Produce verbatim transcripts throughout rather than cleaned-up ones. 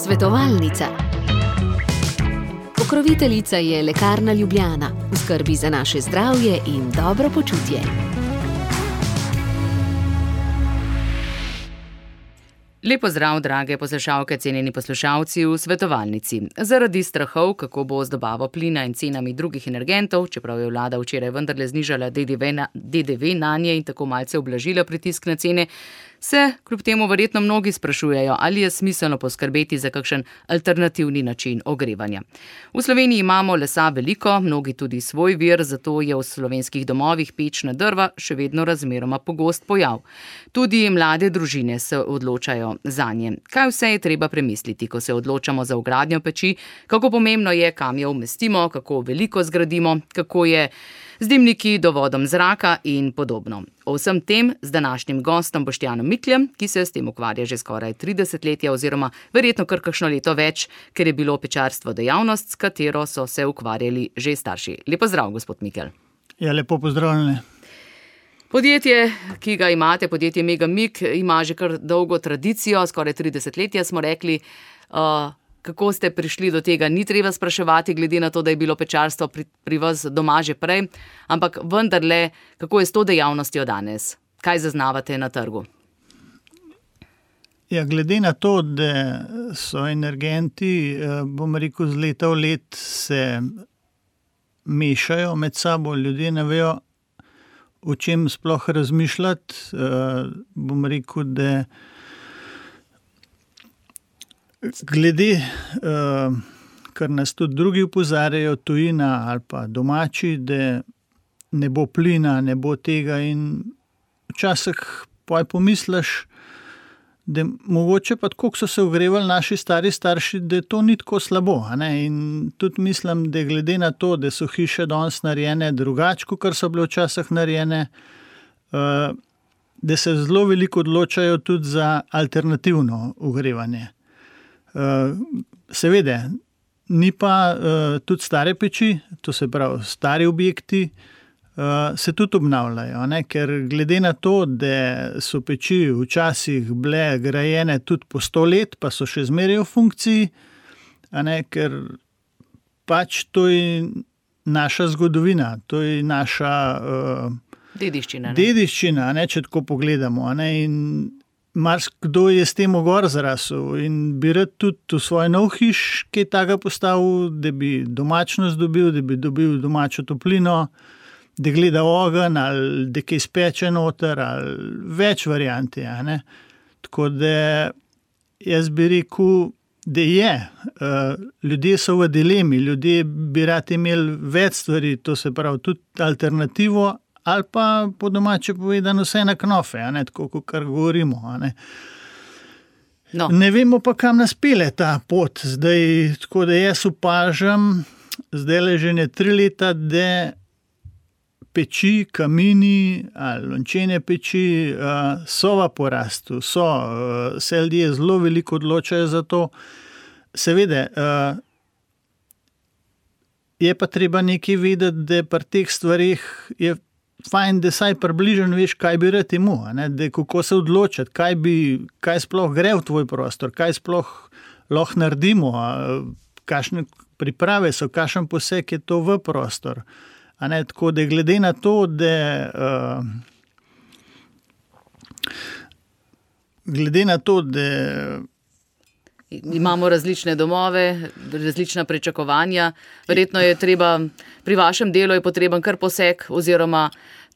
Svetovalnica. Pokroviteljica je Lekarna Ljubljana, v skrbi za naše zdravje in dobro počutje. Lep pozdrav, drage poslušalke, cenjeni poslušalci v Svetovalnici. Zaradi strahov, kako bo z dobavo plina in cenami drugih energentov, čeprav je vlada včeraj vendarle znižala D D V na, D D V nanje in tako malce ublažila pritisk na cene, se kljub temu verjetno mnogi sprašujejo, ali je smiselno poskrbeti za kakšen alternativni način ogrevanja. V Sloveniji imamo lesa veliko, mnogi tudi svoj vir, zato je v slovenskih domovih pečna drva še vedno razmeroma pogost pojav. Tudi mlade družine se odločajo zanje. Kaj vse je treba premisliti, ko se odločamo za vgradnjo peči, kako pomembno je, kam jo umestimo, kako veliko zgradimo, kako je z dimniki, dovodom zraka in podobno. O vsem tem z današnjim gostom Boštjanom Mikljem, ki se s tem ukvarja že skoraj trideset letja oziroma verjetno kar kakšno leto več, ker je bilo pečarstvo dejavnost, s katero so se ukvarjali že starši. Lep pozdrav, gospod Mikelj. Ja, lepo pozdravljeni. Podjetje, ki ga imate, podjetje Megamik, ima že kar dolgo tradicijo, skoraj trideset letja smo rekli. Uh, Kako ste prišli do tega, ni treba spraševati, glede na to, da je bilo pečarstvo pri, pri vas doma že prej, ampak vendarle, kako je s to dejavnostjo danes? Kaj zaznavate na trgu? Ja, glede na to, da so energenti, bom rekel, z leta v let se mešajo med sabo, ljudje ne vejo, o čem sploh razmišljati, bom rekel, da glede, uh, kar nas tudi drugi opozarjajo, tujina ali pa domači, da ne bo plina, ne bo tega in včasih poj pomisliš, da mogoče pa tako, ko so se ogrevali naši stari starši, da to ni tako slabo. A ne? In tudi mislim, da glede na to, da so hiše danes narejene drugače, kot so bile včasih narejene, uh, da se zelo veliko odločajo tudi za alternativno ogrevanje. Uh, seveda, ni pa uh, tudi stare peči, to se pravi stari objekti, uh, se tudi obnavljajo, ne? Ker glede na to, da so peči včasih bile grajene tudi po sto let, pa so še zmeraj v funkciji, a ne? Ker pač to je naša zgodovina, to je naša uh, dediščina, ne? dediščina, ne? Če tako pogledamo, a ne? In marsikdo je s tem gor zrasel in bi rad tudi v svoj nov hiš kaj takega postavil, da bi domačnost dobil, da bi dobil domačo toplino, da gleda ogenj ali da kaj speče noter ali več variant je. Ne? Tako da jaz bi rekel, da je. Ljudje so v dilemi, ljudje bi rad imeli več stvari, to se pravi tudi alternativo, ali pa po domače povedano vse na knofe, a ne, tako kot kar govorimo. A ne. No. Ne vemo pa, kam nas pelje ta pot. Zdaj, tako da jaz opažam, zdaj le že ne tri leta, da peči, kamini ali lončene peči uh, so v porastu, so, uh, se ljudje zelo veliko odločajo za to. Seveda, uh, je pa treba nekaj vedeti, da pri teh stvarih je fajn, da saj približno veš, kaj bi rad imel, ne? Da kako se odločiti, kaj, bi, kaj sploh gre v tvoj prostor, kaj sploh lahko naredimo, kakšne priprave so, kakšen poseg je to v prostor. A ne? Tako da glede na to, da uh, glede na to, da imamo različne domove, različna pričakovanja. Verjetno je treba, pri vašem delu je potreben kar poseg oziroma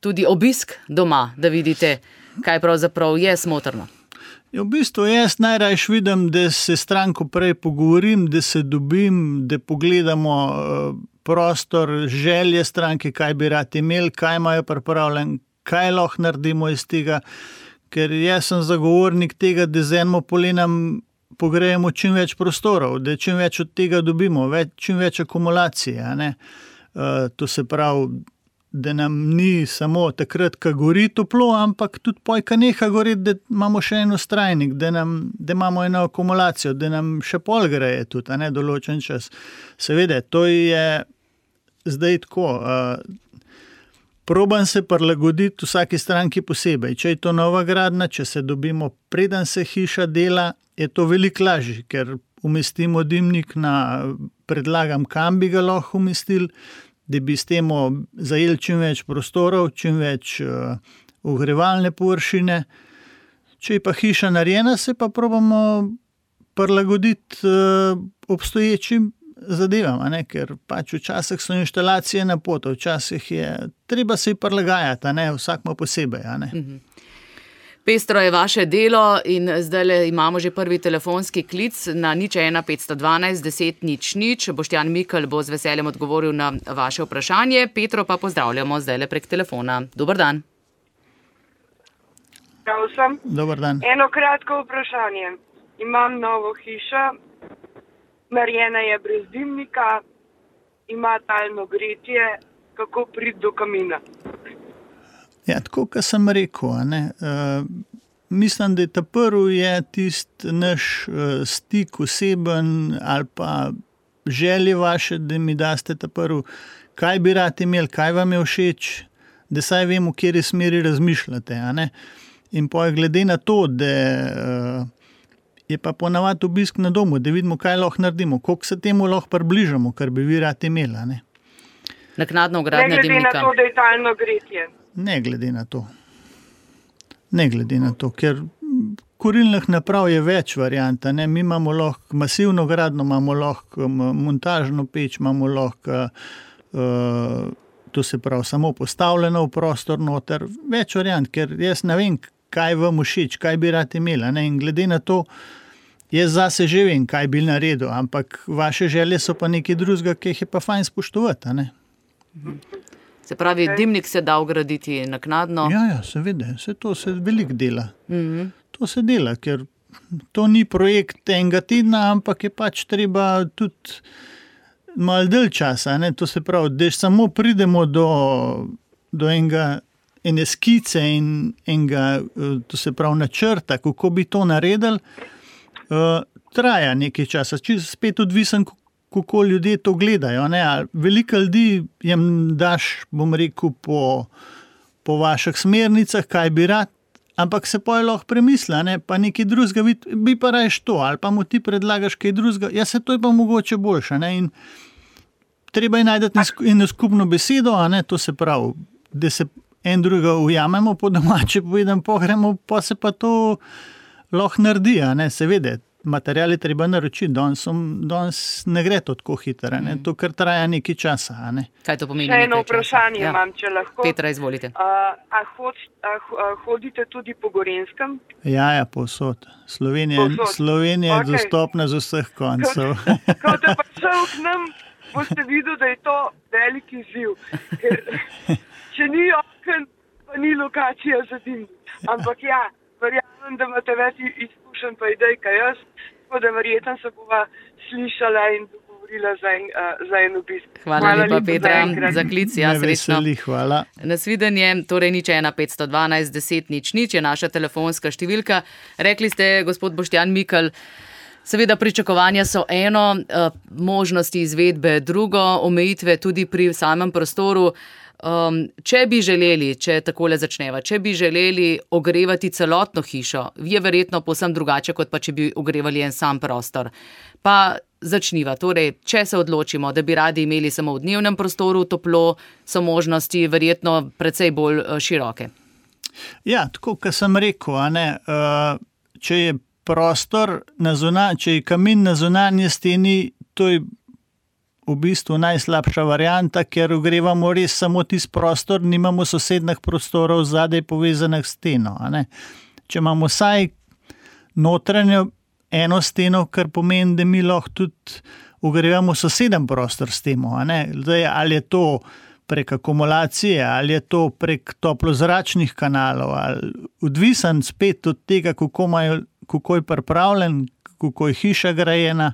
tudi obisk doma, da vidite, kaj pravzaprav je smotrno. Ja, v bistvu jaz najrajš vidim, da se stranko prej pogovorim, da se dobim, da pogledamo prostor, želje stranke, kaj bi rad imeli, kaj imajo pripravljen, kaj lahko naredimo iz tega, ker jaz sem zagovornik tega, da z enim polenom pogrejemo čim več prostorov, da čim več od tega dobimo, več, čim več akumulacije. A ne? Uh, to se pravi, da nam ni samo takrat, ko gori toplo, ampak tudi poj, ko neha goreti, da imamo še eno strajnik, da, nam, da imamo eno akumulacijo, da nam še pol greje tudi, a ne, določen čas. Seveda, to je zdaj tako. Uh, Probam se prilagoditi vsaki stranki posebej. Če je to nova gradnja, če se dobimo preden se hiša dela, je to veliko lažje, ker umestimo dimnik na, predlagam, kam bi ga lahko umestili, da bi s tem zajeli čim več prostorov, čim več uh, ogrevalne površine. Če je pa hiša narejena, se pa probamo prilagoditi uh, obstoječim zadevam, a ne? Ker pač včasih so inštalacije na poto, včasih je treba se prilagajati, a ne? Vsak ima posebej. A ne? Mhm. Pestro je vaše delo in zdaj imamo že prvi telefonski klic na nič ena petsto dvanajst deset nič nič. Boštjan Mikl bo z veseljem odgovoril na vaše vprašanje. Petro pa pozdravljamo zdaj prek telefona. Dobar dan. Prav sem. Dobar dan. Eno kratko vprašanje. Imam novo hišo, narejena je brez dimnika, ima talno gretje, kako priti do kamina? Ja, tako, kot sem rekel, a ne, uh, mislim, da je ta prvi je tisti naš uh, stik oseben ali pa želje vaše, da mi daste ta prvi, kaj bi rad imeli, kaj vam je všeč, da saj vemo, v kateri smeri razmišljate. A ne. In pa glede na to, da uh, je pa ponavadi obisk na domu, da vidimo, kaj lahko naredimo, koliko se temu lahko približamo, kar bi vi rad imeli. A ne. Naknadno vgradnja dimnika. Ne glede na to, da je talno gretje. Ne glede na to. Ne glede na to, ker kurilnih naprav je več variant. Ne? Mi imamo lahko masivno gradno, imamo lahko montažno peč, imamo lahko, uh, to se pravi, samo postavljeno v prostor noter. Več variant, ker jaz ne vem, kaj vam všeč, kaj bi rad imela. Ne? In glede na to, jaz zase že vem, kaj bi naredil, ampak vaše želje so pa nekaj drugega, ki jih je pa fajn spoštovati. A ne? Se pravi, dimnik se da vgraditi naknadno? Ja, ja, seveda, se to se veliko dela. Mm-hmm. To se dela, ker to ni projekt enega tedna, ampak je pač treba tudi malo dalj časa. Ne? To se pravi, da samo pridemo do, do enega, ene skice in enega, to se pravi, načrta, kako bi to naredili, uh, traja nekaj časa. Čisto spet odvisen, kako ljudje to gledajo. Ne? Veliko ljudi jim daš, bom rekel, po, po vaših smernicah, kaj bi rad, ampak se pa je lahko premisla, ne? Pa nekaj drugega, bi pa rajš to, ali pa mu ti predlagaš kaj drugega, ja se to je pa mogoče boljše. Ne? In treba je najti eno skupno besedo, a ne? To se pravi, da se en drugega ujamemo, po domače povedem, pogremo, pa se pa to lahko naredi, a ne? Seveda. Material je treba naročiti, danes, danes ne gre to tako hitro, ne? To kar traja nekaj časa. A ne? Kaj to pomeni? Še eno vprašanje ja. Imam, če lahko. Petra, izvolite. A, a, hod, a, a hodite tudi po Gorenskem? Ja, ja, povsod. Slovenija, Slovenija okay. je dostopna z vseh koncev. Ko te pa šel k nam, boste videli, da je to velik izziv. Ker, če ni oken, pa ni lokacija za dim. Ampak ja, verjamem, da imate več izkušenj pa idej, kaj jaz, tako da verjetno se bova slišala in dogovorila za en, uh, za en obisk. Hvala, hvala lepa, Petra, za klic, ja, srečno. Veseli, hvala. Nasvidenje, torej nič ena petsto dvanajst deset nič nič je naša telefonska številka. Rekli ste, gospod Boštjan Mikl, seveda pričakovanja so eno, možnosti izvedbe drugo, omejitve tudi pri samem prostoru. Um, če bi želeli, če takole začneva, če bi želeli ogrevati celotno hišo, je verjetno povsem drugače, kot pa če bi ogrevali en sam prostor. Pa začniva, torej, če se odločimo, da bi radi imeli samo v dnevnem prostoru toplo, so možnosti verjetno precej bolj široke. Ja, tako, kot sem rekel, a ne, če je prostor, na zunanj, če je kamin na zunanji steni, to je v bistvu najslabša varianta, ker ogrevamo res samo tisti prostor, nimamo sosednih prostorov zadaj povezanih s steno. A ne? Če imamo vsaj notranjo eno steno, kar pomeni, da mi lahko tudi ogrevamo soseden prostor s temo. A ne? Zdaj, ali je to prek akumulacije, ali je to prek toplozračnih kanalov, ali odvisen spet od tega, kako, imajo, kako je pripravljen, kako je hiša grajena.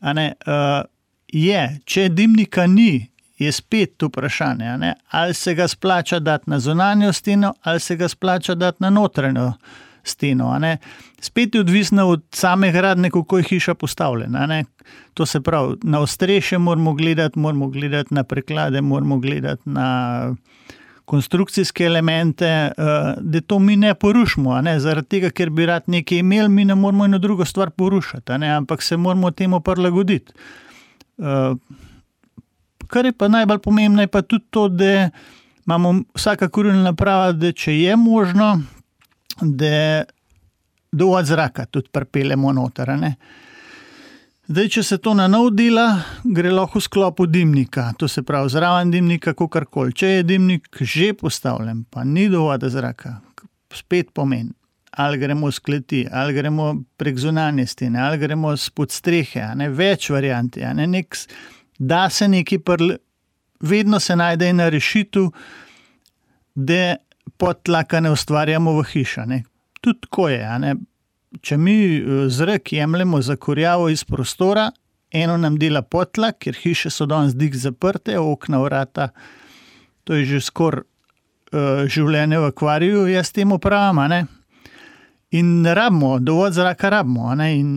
A ne? Uh, Je, če dimnika ni, je spet vprašanje, ne? Ali se ga splača dati na zunanjo steno, ali se ga splača dati na notranjo steno. Ne? Spet je odvisno od same gradnje, kako je hiša postavljena. Ne? To se pravi, na ostrešje moramo gledati, moramo gledati na preklade, moramo gledati na konstrukcijske elemente, da to mi ne porušimo, a ne, zaradi tega, ker bi rad nekaj imeli, mi ne moramo eno drugo stvar porušati, a ne, ampak se moramo temu prilagoditi. Kar je pa najbolj pomembno, je pa tudi to, da imamo vsaka kurilna naprava, da če je možno, da dovolj zraka tudi pripeljemo noter, a ne. Zdaj, če se to na nov dela, gre lahko v sklopu dimnika, to se pravi zraven dimnika, kakorkoli. Če je dimnik že postavljen, pa ni dovolj zraka, spet pomeni, ali gremo z kleti, ali gremo prek zunanje stene, ali gremo spod strehe, a ne, več varianti, a ne, nek, da se neki prl, vedno se najde ena rešitev, da podtlaka ne ustvarjamo v hiša, ne. Tudi tako je, a ne. Če mi zrak jemljemo za kurjavo iz prostora, eno nam dela podtlak, ker hiše so danes dik zaprte, okna, vrata, to je že skoraj uh, življenje v akvariju, jaz temu pravim, a ne. In ne rabimo, dovolj zraka rabimo, a ne, in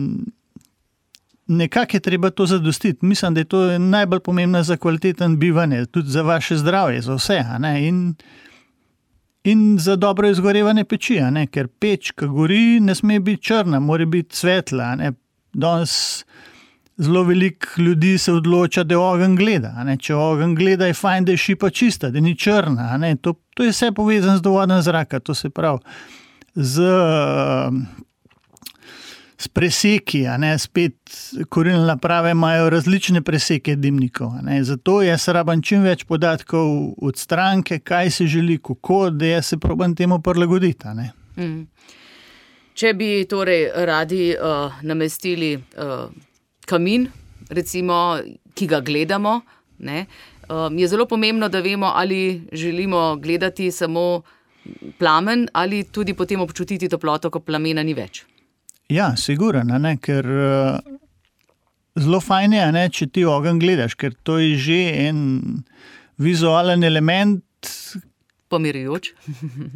nekako je treba to zadostiti. Mislim, da je to najbolj pomembno za kvaliteten bivanje, tudi za vaše zdravje, za vse, a ne, in In za dobro izgorevanje peči, a ne? Ker peč, ki gori, ne sme biti črna, mora biti svetla. A ne? Danes zelo veliko ljudi se odloča, da ogenj gleda. A ne? Če ogenj gleda, je fajn, da je šipa čista, da ni črna. A ne? To, to je vse povezano z dovodom zraka, to se pravi z, z preseki, a ne? Spet kurilne naprave imajo različne preseke dimnikov. A ne? Zato jaz rabam čim več podatkov od stranke, kaj se želi, kako, da jaz se probam temu prilagoditi. A ne? Mm. Če bi torej radi uh, namestili uh, kamin, recimo, ki ga gledamo, ne, uh, je zelo pomembno, da vemo, ali želimo gledati samo plamen ali tudi potem občutiti toploto, ko plamena ni več. Ja, sigurno, ne, ker uh, zelo fajn je, ne, če ti ogenj gledaš, ker to je že en vizualen element. Pomirjujoč.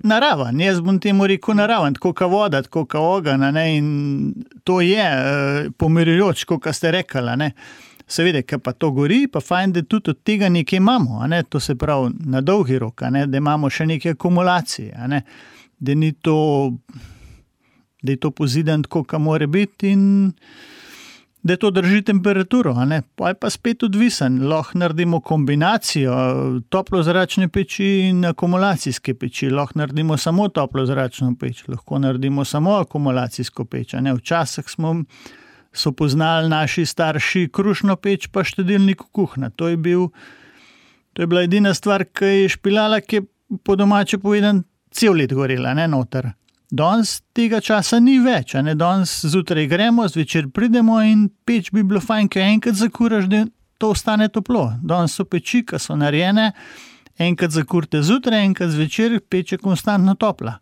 Naraven, jaz bom temu rekel naraven, tako ka voda, tako ka ogenj, ne, in to je uh, pomirjujoč, kot ste rekli, ne. Seveda, ker pa to gori, pa fajn, da tudi od tega nekaj imamo, a ne, to se pravi na dolgi rok, a ne, da imamo še neke akumulacije, a ne, da ni to... da je to pozidan tako, ka mora biti in da to drži temperaturo, a ne. Pa je pa spet odvisen, lahko naredimo kombinacijo toplozračne peči in akumulacijske peči, lahko naredimo samo toplozračno peč, lahko naredimo samo akumulacijsko peč, a ne. Včasih smo so poznali naši starši krušno peč pa štedilnik kuhna, to je bil, to je bila edina stvar, ki je špilala, ki je po domače povedan cel let gorela, ne, noter. Danes tega časa ni več, a ne, danes zjutraj gremo, zvečer pridemo in peč bi bilo fajn, ker enkrat zakuraš, da to ostane toplo. Danes so peči, ki so narejene, enkrat zakurte zjutraj, enkrat zvečer, peč je konstantno topla.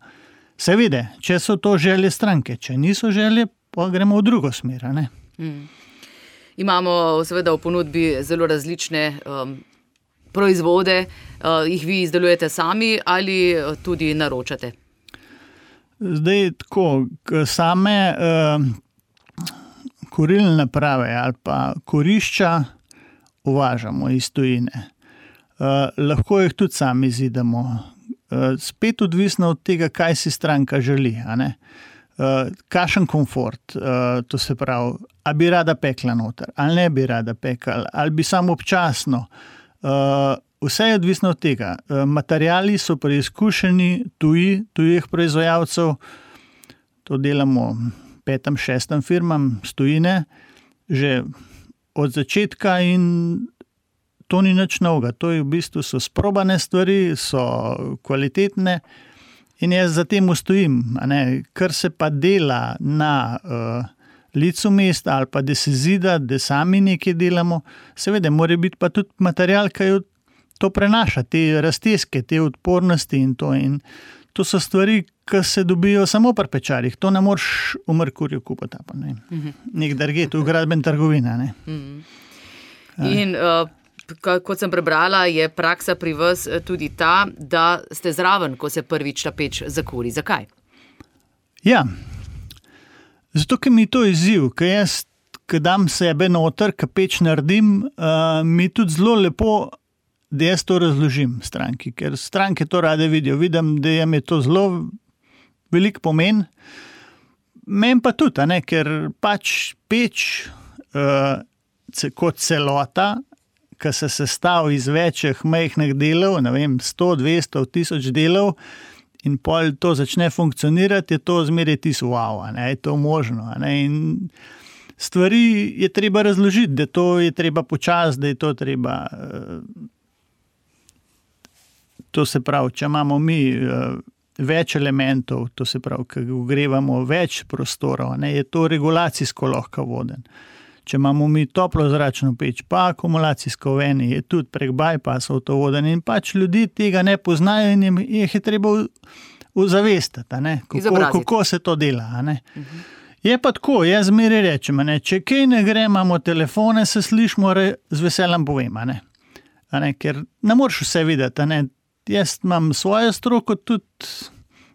Seveda, če so to želje stranke, če niso želje, pa gremo v drugo smer, a ne. Hmm. Imamo seveda v ponudbi zelo različne um, proizvode, uh, jih vi izdelujete sami ali tudi naročate? Zdaj, tako, same uh, kurilne naprave ali pa kurišča uvažamo iz tujine. Uh, lahko jih tudi sami izidemo. Uh, spet odvisno od tega, kaj si stranka želi, a ne. Uh, kakšen komfort, uh, to se pravi, ali bi rada pekla noter, ali ne bi rada pekla, ali bi samo občasno. Uh, Vse je odvisno od tega. Materiali so preizkušeni tuji, tujih proizvajalcev. To delamo petem, šestem firmam z tujine že od začetka in to ni nič novega. To je v bistvu so sprobane stvari, so kvalitetne in jaz za tem stojim. A ne, kar se pa dela na uh, licu mesta ali pa da se zida, da sami nekaj delamo, seveda mora biti pa tudi material, ki je to prenaša, te razteske, te odpornosti in to. In to so stvari, ki se dobijo samo pri pečarjih. To ne moreš v Merkurju kupiti. Pa, ne. Mm-hmm. Nek drugje, to je gradbena trgovina. Ne. Mm-hmm. In uh, kot sem prebrala, je praksa pri vas tudi ta, da ste zraven, ko se prvič ta peč zakuri. Zakaj? Ja, zato, ker mi to izziv, ker jaz, ko dam sebe noter, ko peč naredim, uh, mi tudi zelo lepo da jaz to razložim stranki, ker stranke to rade vidijo. Vidim, da jim je to zelo velik pomen. Meni pa tudi, a ne, ker pač peč uh, kot celota, ki se sestavi iz večjih majhnih delov, ne vem, sto, dvesto, tisoč delov in pol to začne funkcionirati, je to zmeraj tisto wow, a ne, je to možno, a ne, in stvari je treba razložiti, da to je treba počasi, da je to treba, uh, to se pravi, če imamo mi uh, več elementov, to se pravi, ki ogrevamo več prostorov, ne, je to regulacijsko lahko voden. Če imamo mi toplo zračno peč, pa akumulacijsko veni, je tudi prek bypassov to voden in pač ljudi tega ne poznajo in jih je treba ozavestiti, kako, kako se to dela. A ne. Uh-huh. Je pa tako, jaz zmeraj rečem, a ne, če kaj ne gre, imamo telefone, se slišimo, z veseljem povem, a ne. A ne, ker ne moreš vse videti, a ne. Jaz imam svojo stroko, tudi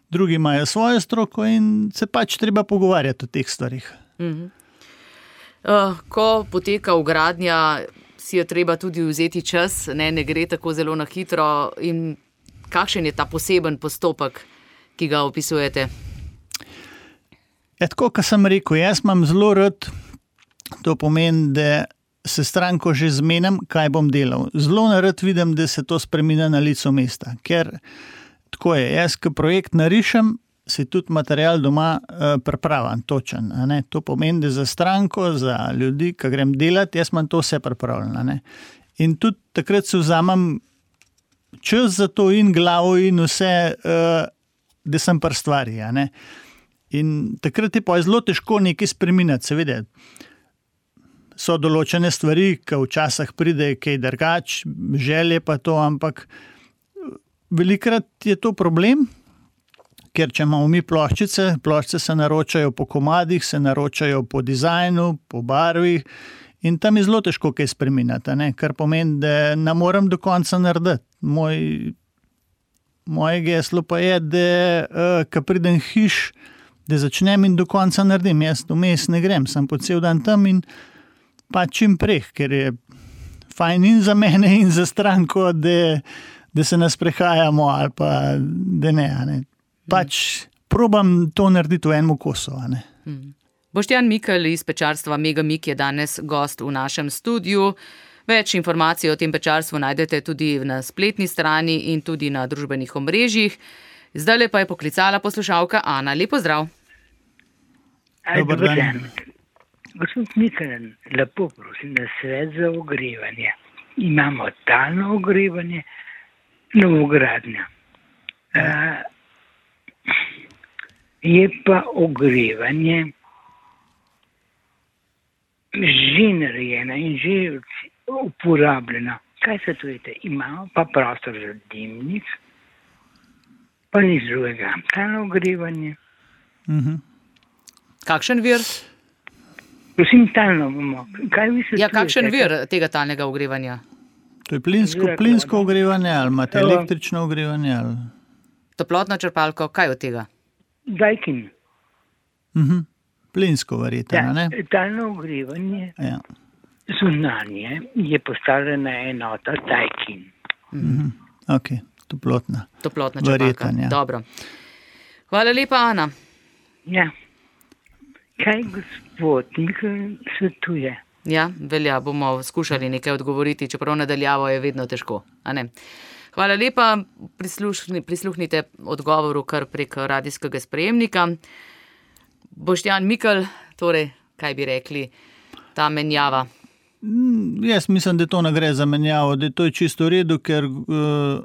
drugi imajo svojo stroko in se pač treba pogovarjati o teh stvarih. Uh-huh. Uh, ko poteka vgradnja, si je treba tudi vzeti čas, ne, ne gre tako zelo na hitro. In kakšen je ta poseben postopek, ki ga opisujete? Je tako, kot sem rekel, jaz imam zelo rad, to pomeni, da se stranko že zmenim, kaj bom delal. Zelo rad vidim, da se to spreminja na licu mesta, ker tako je, jaz, ko projekt narišem, se tudi material doma uh, pripravljen, točen. A ne? To pomeni, da za stranko, za ljudi, ki grem delati, jaz imam to vse pripravljeno. A ne? In tudi takrat se vzamem čas za to in glavo in vse, uh, da sem pri stvari. A ne? In takrat je pa zelo težko nekaj spreminjati, seveda. So določene stvari, ki včasih pride kaj drugač, želje pa to, ampak velikrat je to problem, ker če imamo mi ploščice, ploščice se naročajo po komadih, se naročajo po dizajnu, po barvi in tam je zelo težko kaj spreminjati, ne? Kar pomeni, da ne morem do konca narediti. Moj, moje geslo pa je, da uh, ko pridem hiš, da začnem in do konca naredim. Jaz vmes ne grem, sem po cel dan tam in pa čim prej, ker je fajn in za mene in za stranko, da, da se nas prehajamo ali pa da ne, a ne. Pač probam to narediti v enem kosu. Hmm. Boštjan Mikelj iz pečarstva Megamik je danes gost v našem studiu. Več informacij o tem pečarstvu najdete tudi na spletni strani in tudi na družbenih omrežjih. Zdajle pa je poklicala poslušalka Ana. Lep pozdrav. Dobar dan. Gospod Mikelj, lepo prosim, da svet za ogrevanje. Imamo talno ogrevanje, novogradnja. Uh, Je pa ogrevanje že narejeno in že uporabljeno. Kaj se tvojete? Imamo pa prostor za dimnik, pa nič drugega. Talno ogrevanje. Uh-huh. Kakšen vir? Prosim, talno bomo. Kaj vi se ja, kakšen vir tega talnega ogrevanja? To je plinsko, plinsko ogrevanje ali imate električno ogrevanje? Ali... Toplotno črpalko, kaj od tega? Daikin. Uh-huh. Plinsko verjetno, ne? Talno ogrevanje, ja. Zunanje je postavljena enota Daikin. Uh-huh. Ok, toplotna. Toplotna črpalka, ja. Dobro. Hvala lepa, Ana. Ja. Kaj gospod Mikelj svetuje? Ja, velja, bomo skušali nekaj odgovoriti, čeprav nadaljavo je vedno težko, a ne? Hvala lepa, prislušni, prisluhnite odgovoru kar prek radijskega sprejemnika. Boštjan Mikelj, torej, kaj bi rekli, ta menjava? Mm, jaz mislim, da to ne gre za menjavo, da to je čisto v redu, ker uh,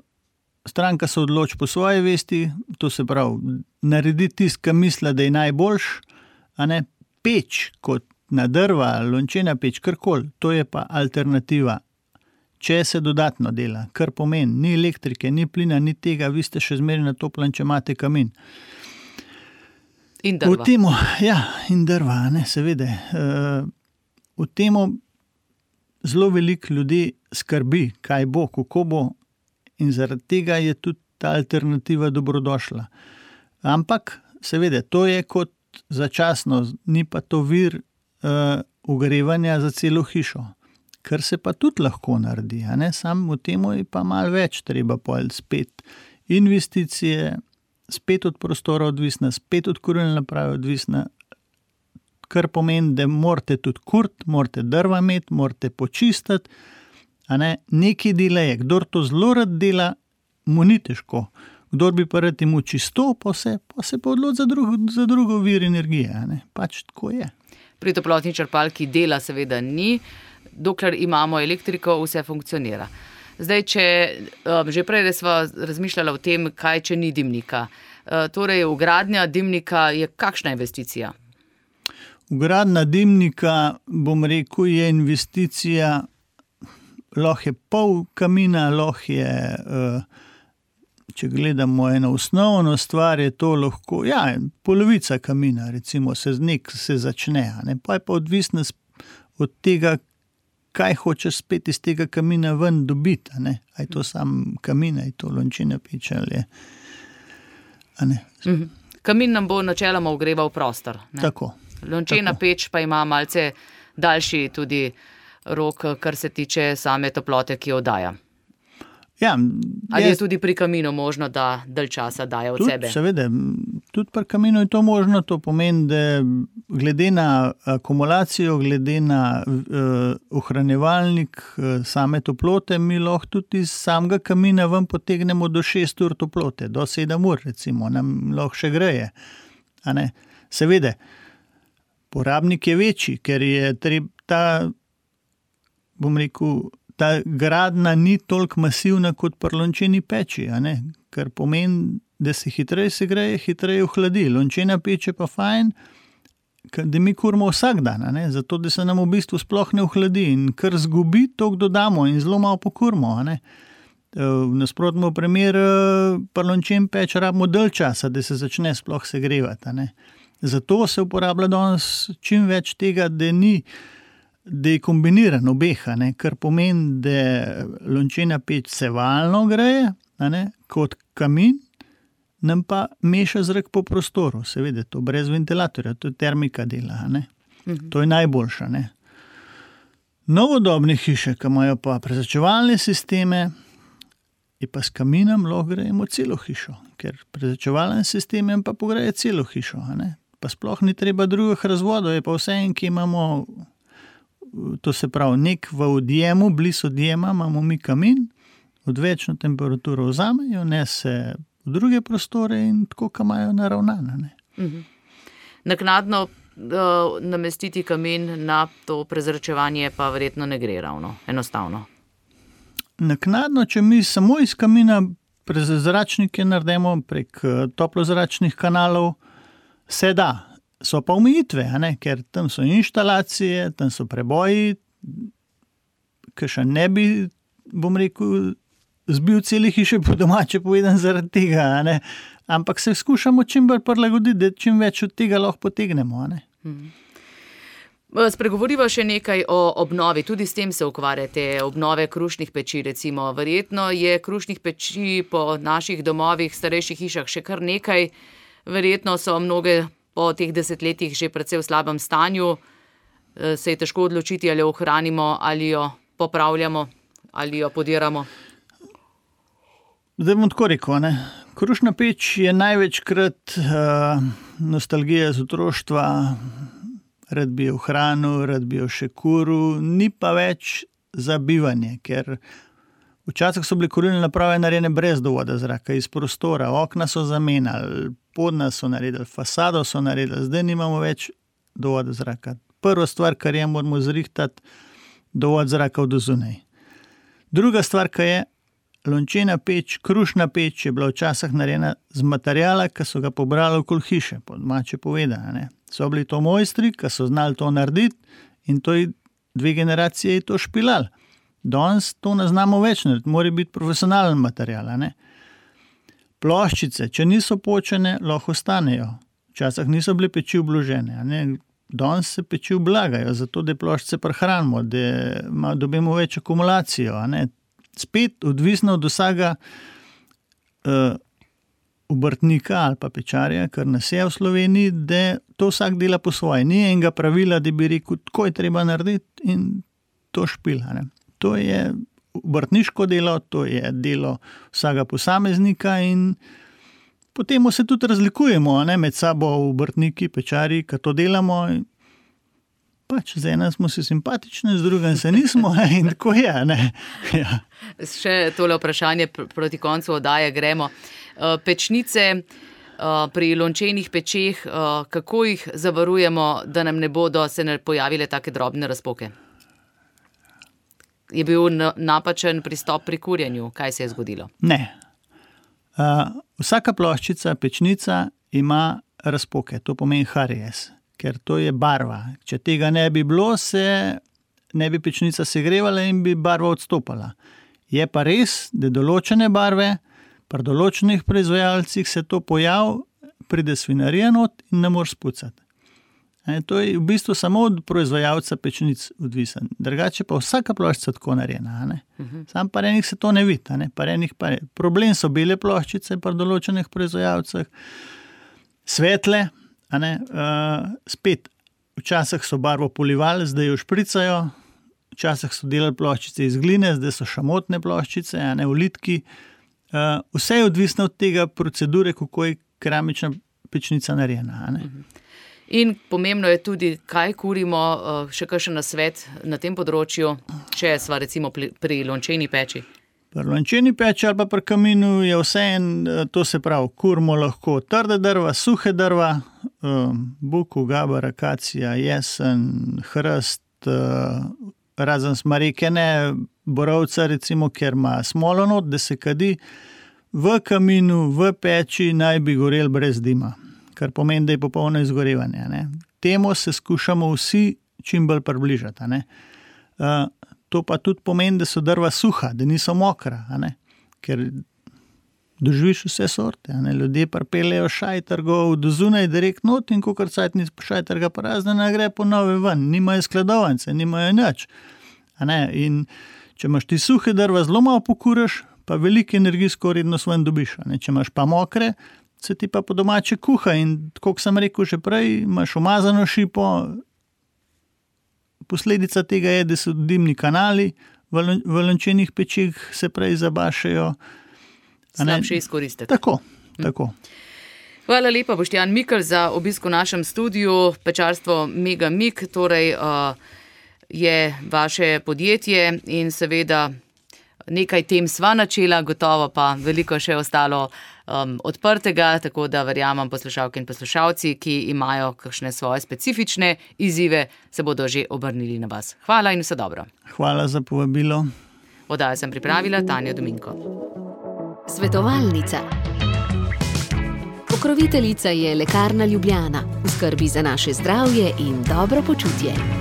stranka se odloči po svoji vesti, to se pravi, naredi tist, ki misli, da je najboljš, a ne peč kot na drva, lončena peč, karkoli, to je pa alternativa. Če se dodatno dela, kar pomeni, ni elektrike, ni plina, ni tega, vi ste še zmeraj na toplen, če imate kamin. In drva. V temu, ja, in drva, ne, seveda. Uh, v temu zelo veliko ljudi skrbi, kaj bo, kako bo in zaradi tega je tudi ta alternativa dobrodošla. Ampak, seveda, to je kot začasno, ni pa to vir uh, ogrevanja za celo hišo. kar se pa tudi lahko naredi, a ne, sam v temu je pa malo več treba pol spet investicije, spet od prostora odvisna, spet od kurilne naprave odvisna, kar pomeni, da morate tudi kurt, morate drva imeti, morate počistiti, a ne, nekaj dela je, kdor to zelo rad dela, mu ni težko, kdor bi pa rad imel čisto, pa se pa, se pa odloči za, drugo, za drugo vir energije, a ne, pač tako je. Pri toplotni črpalki dela seveda ni, dokler imamo elektriko, vse funkcionira. Zdaj, če um, že prej sva razmišljala o tem, kaj če ni dimnika. Uh, torej, vgradnja dimnika je kakšna investicija? Vgradnja dimnika, bom rekel, je investicija, lahko je pol kamina, lahko je, uh, če gledamo eno osnovno stvar, je to lahko, ja, polovica kamina, recimo, se nek se začne, ne, pa je pa odvisno od tega, kaj hočeš spet iz tega kamina ven dobiti, a ne, a je to sam kamin, a je to lončina peč ali je, a ne. Mhm. Kamin nam bo načeloma ogreval prostor, ne? Tako. Lončena tako. peč pa ima malce daljši tudi rok, kar se tiče same toplote, ki jo daja. Ja, Ali je tudi pri kaminu možno, da dalj časa daje od tudi, sebe? Seveda, tudi pri kaminu je to možno, to pomeni, da glede na akumulacijo, glede na uh, ohranjevalnik uh, same toplote, mi lahko tudi iz samega kamina ven potegnemo do šest ur toplote, do sedem ur recimo, nam lahko še greje. A ne? Seveda, porabnik je večji, ker je treba ta, bom rekel, ta gradna ni toliko masivna kot pri lončeni peči, a ne? Kar pomeni, da se hitreje segreje, hitreje ohladi. Lončena peč je pa fajn, da mi kurimo vsak dan, a ne? Zato, da se nam v bistvu sploh ne ohladi in kar zgubi, toliko dodamo in zelo malo pokurimo, a ne? V nasprotnem primeru pri lončeni peč rabimo dalj časa, da se začne sploh segrevati, a ne? Zato se uporablja danes čim več tega, da ni da je kombiniran obeh, ne, kar pomeni, da lončena peč sevalno greje, ne, kot kamin, nam pa meša zrak po prostoru, seveda, to brez ventilatorja, to je termika dela, ne. Mhm. To je najboljša, ne. Novodobne hiše, ki imajo pa prezračevalne sisteme, je pa s kaminom lahko grejemo celo hišo, ker prezračevalne sisteme pa pogreje celo hišo, ne. Pa sploh ni treba drugih razvodov, je pa vse en, ki imamo, to se pravi, nek v odjemu, blizu odjema imamo mi kamin, odvečno temperaturo vzame, jo nese v druge prostore in tako, ka imajo naravnane. Ne. Mhm. Naknadno uh, namestiti kamin na to prezračevanje pa verjetno ne gre ravno, enostavno. Naknadno, če mi samo iz kamina prezračnike naredimo prek toplozračnih kanalov, se da. So pa omejitve, a ne, ker tam so inštalacije, tam so preboji, ki še ne bi, bom rekel, zbil cele hiše po domače povedan zaradi tega, a ne, ampak se skušamo čim bolj prilagoditi, da čim več od tega lahko potegnemo, a ne. Hmm. Spregovoriva še nekaj o obnovi, tudi s tem se ukvarjate, obnove krušnih peči recimo. Verjetno je krušnih peči po naših domovih, starejših hišah še kar nekaj, verjetno so mnoge po teh desetletjih že precej v slabem stanju, se je težko odločiti, ali jo ohranimo, ali jo popravljamo, ali jo podiramo. Zdaj bom tako rekel, ne. Krušna peč je največkrat uh, nostalgija z otroštva, rad bi jo ohranil, rad bi jo še kuril, ni pa več za bivanje, ker včasih so bile kurilne naprave narejene brez dovoda zraka, iz prostora, okna so zamenjali, podna so naredili, fasado so naredili, zdaj nimamo več dovoda zraka. Prva stvar, kar je, moramo zrihtati dovod zraka od zunaj. Druga stvar, kar je, lončena peč, krušna peč je bila včasih narejena z materiala, ki so ga pobrali okoli hiše, po domače povedano, ne. So bili to mojstri, ki so znali to narediti in to je dve generacije je to špilali. Danes to ne znamo več narediti, mora biti profesionalen material, ne. Ploščice, če niso počene, lahko ostanejo. Včasih niso bile peči obložene, ne. Danes se peči oblagajo, zato da ploščice prehranimo, da dobimo več akumulacijo, ne. Spet odvisno od vsega uh, obrtnika ali pa pečarja, kar nas je v Sloveniji, da to vsak dela po svoje. Ni enega pravila, da bi rekel, tako je treba narediti in to špil. Ne. To je obrtniško delo, to je delo vsakega posameznika in potem se tudi razlikujemo, ne, med sabo obrtniki, pečari, ki to delamo. Pač z enem smo si simpatični, z drugim se nismo in tako je. Ne. Ja. Še tole vprašanje proti koncu oddaje gremo. Pečnice pri lončenih pečeh, kako jih zavarujemo, da nam ne bodo se ne pojavile take drobne razpoke? Je bil napačen pristop pri kurjenju? Kaj se je zgodilo? Ne. Uh, vsaka ploščica, pečnica ima razpoke, to pomeni karies, ker to je barva. Če tega ne bi bilo, se ne bi pečnica segrevala in bi barva odstopala. Je pa res, da določene barve, pri določenih proizvajalcih se to pojavi, pride svinarija not in ne moreš spucati. E, to je v bistvu samo od proizvajalca pečnic odvisen. Drugače pa vsaka ploščica tako narejena. Ne? Uh-huh. Sam pa enih se to ne vidi. Ne? Pa problem so bele ploščice pri določenih proizvajalcih, svetle, a ne? Uh, spet včasih so barvo polivali, zdaj jo špricajo, včasih so delali ploščice iz gline, zdaj so šamotne ploščice, a ne ulitki. Uh, vse je odvisno od tega procedure, kako je keramična pečnica narejena. A ne? Uh-huh. In pomembno je tudi, kaj kurimo, še kakšen nasvet na tem področju, če sva recimo pri lončeni peči. Pri lončeni peči ali pa pri kaminu je vse en, to se pravi, kurimo lahko trde drva, suhe drva, buku, gabar, akacija, jesen, hrst, razen smareke ne, borovca recimo, ker ima smolo not, da se kadi, v kaminu, v peči naj bi gorel brez dima. Kar pomeni, da je popolno izgorevanje. Ne. Temu se skušamo vsi čim bolj približati. Ne. Uh, to pa tudi pomeni, da so drva suha, da niso mokra, ne. Ker doživiš vse sorte. Ne. Ljudje pripeljejo šajtrgov do zunaj direkt not in kakor cajt ni šajtrga praznena, gre po nove ven. Nimajo skladovance, nimajo nič. A ne. In če imaš ti suhe drva, zelo malo pokuraš, pa veliko energijsko vrednost ven dobiš. Ne. Če imaš pa mokre, se ti pa po domače kuha in, kot sem rekel že prej, imaš umazano šipo. Posledica tega je, da so dimni kanali v lončenih pečih se prej zabašajo. Slabše izkoristiti. Tako, tako. Hvala lepa, Boštjan Mikl, za obisk v našem studiu. Pečarstvo Mega Mik, torej uh, je vaše podjetje in seveda nekaj tem sva načela, gotovo pa veliko še ostalo um, odprtega, tako da verjamem poslušalke in poslušalci, ki imajo kakšne svoje specifične izzive, se bodo že obrnili na vas. Hvala in vse dobro. Hvala za povabilo. Oddajo sem pripravila Tanja Dominko. Svetovalnica. Pokroviteljica je Lekarna Ljubljana. V skrbi za naše zdravje in dobro počutje.